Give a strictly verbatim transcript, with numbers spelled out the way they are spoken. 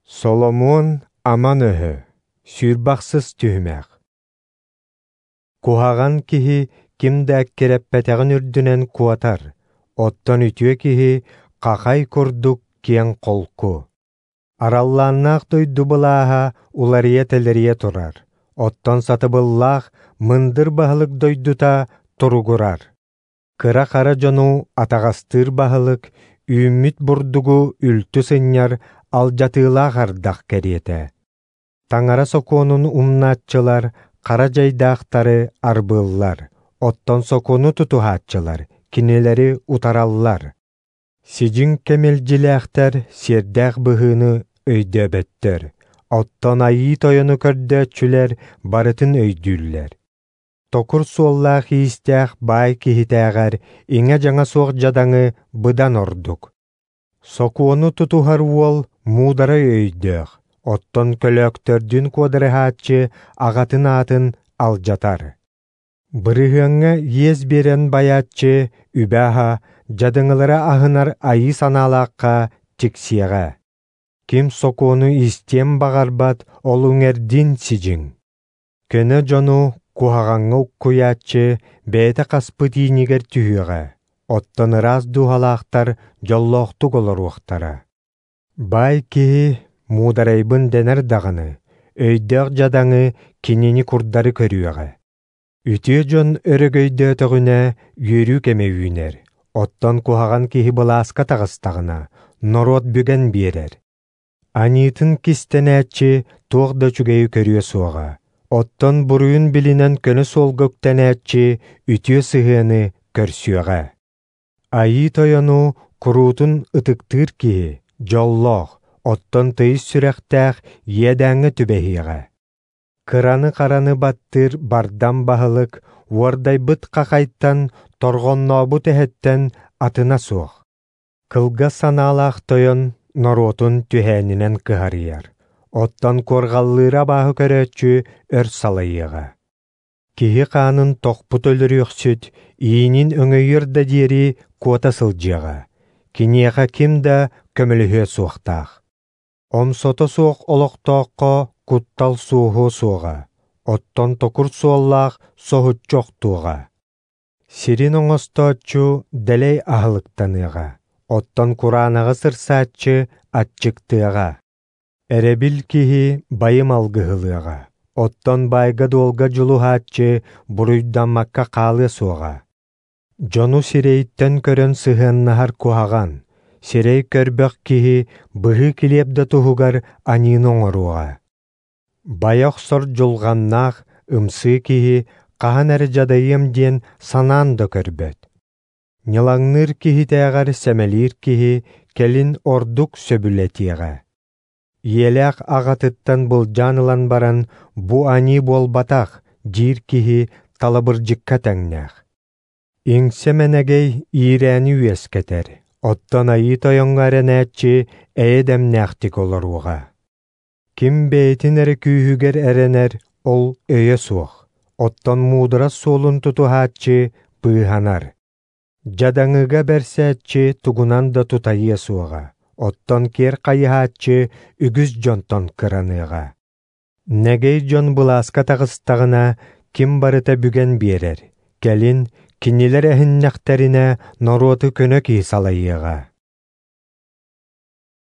Соломуон аман өһө, сүүрбахсыс түһүмэх. Куһаҕан киһи ким да эккирэппэтэҕин үрдүнэн куотар, оттон үтүө киһи хахай курдук киэҥ холку. Араллааннаах дойду былааһа уларыйа-тэлэрийэ турар, оттон сатабыллаах мындыр баһылык дойдута туругурар. Кыра-хара дьону атаҕастыыр баһылык үүммүт бурдугу үлтү сынньар алдьатыылаах ардах кэриэтэ. Таҥара сокуонун умнааччылар хара дьайдаахтары арбыыллар, оттон сокуону тутуһааччылар кинилэри утараллар. Сидьиҥ кэмэлдьилээхтэр сиэрдээх быһыыны өйдөөбөттөр, оттон Айыы Тойону көрдөөччүлэр барытын өйдүүллэр. Токур суоллаах-иистээх баай киһитээҕэр иҥэ-дьаҥа суох дьадаҥы быдан ордук. Сокуону тутуһар уол муударай өйдөөх, оттон көлөөктөрдүүн куодарыһааччы аҕатын аатын алдьатар. Бырыһыаҥҥа иэс биэрэн байааччы үбэ-аһа, дьадаҥылары аһынар айыы санаалаахха тиксиэҕэ. Ким сокуону истиэн баҕарбат, ол үҥэрдиин сидьиҥ. Көнө дьону куһаҕаҥҥа уккуйааччы бэйэтэ хаспыт иинигэр түһүөҕэ, оттон ыраас дууһалаахтар дьоллоохтук олоруохтара. Баай киһи муударайбын дэнэр даҕаны, өйдөөх дьадаҥы кинини курдары көрүөҕэ. Үтүө дьон өрөгөйдөөтөҕүнэ үөрүү кэмэ үүнэр, оттон куһаҕан киһи былааска таҕыстаҕына, норуот бүгэн биэрэр. Аньыытын кистэнээччи туох да үчүгэйи көрүө суоҕа, оттон буруйун билинэн көнө суолга үктэнээччи үтүө сыһыаны көрсүөҕэ. Айыы Тойону куруутун ытыктыыр киһи дьоллоох, оттон тыйыс сүрэхтээх иэдээҥҥэ түбэһиэҕэ. Кыраны-хараны баттыыр бардам баһылык, уордайбыт хахайтан, торҕоннообут эһэттэн атына суох. Кылгас санаалаах тойон норуотун түһээнинэн кыһарыйар, оттон куорҕаллыыра абааһы көрөөччү өр салайыаҕа. Киһи хаанын тохпут өлөрүөхсүт, иинин өҥөйүөр да диэри куота сылдьыаҕа, киниэхэ ким да көмөлөһүө суохтаах. Омсото суох олохтооххо куттал суоһуо суоҕа, оттон токур суоллаах соһуччу охтуоҕа. Сирин оҥостооччу дэлэй аһылыктаныаҕа, оттон кураанаҕы сырсааччы аччыктыаҕа. Эрэбил киһи байым алгыһылыаҕа, оттон баайга-дуолга дьулуһааччы буруйдаммакка хаалыа суоҕа. Дьону сирэйиттэн көрөн сыһыаннаһар куһаҕан, сирэй көрбөх киһи быһыы килиэп да туһугар аньыыны оҥоруоҕа. Байа охсор дьулҕаннаах ымсыы киһи хаһан эрэ дьадайыам диэн санаан да көрбөт. Ньылаҥныыр киһитээҕэр сэмэлиир киһи кэлин ордук сөбүлэтиэҕэ. Ийэлээх аҕатыттан былдьаан ылан баран бу аньыы буолбатах диир киһи талабырдьыкка тэҥнээх. Иҥсэ мэнэгэй иирээни үөскэтэр, оттон Айыы Тойоҥҥо эрэнээччи эйэ дэмнээхтик олоруоҕа. Ким бэйэтин эрэ күүһүгэр эрэнэр, ол өйө суох, оттон муударас суолун тутуһааччы быыһанар. Дьадаҥыга бэрсээччи тугунан да тутайыа суоҕа, оттон киэр хайыһааччы үгүс дьонтон кыраныаҕа. Нэгэй дьон былааска таҕыстаҕына, ким барыта бүгэн биэрэр, кэлин кинилэр эһиннэхтэринэ норуоту көнө киһи салайыаҕа.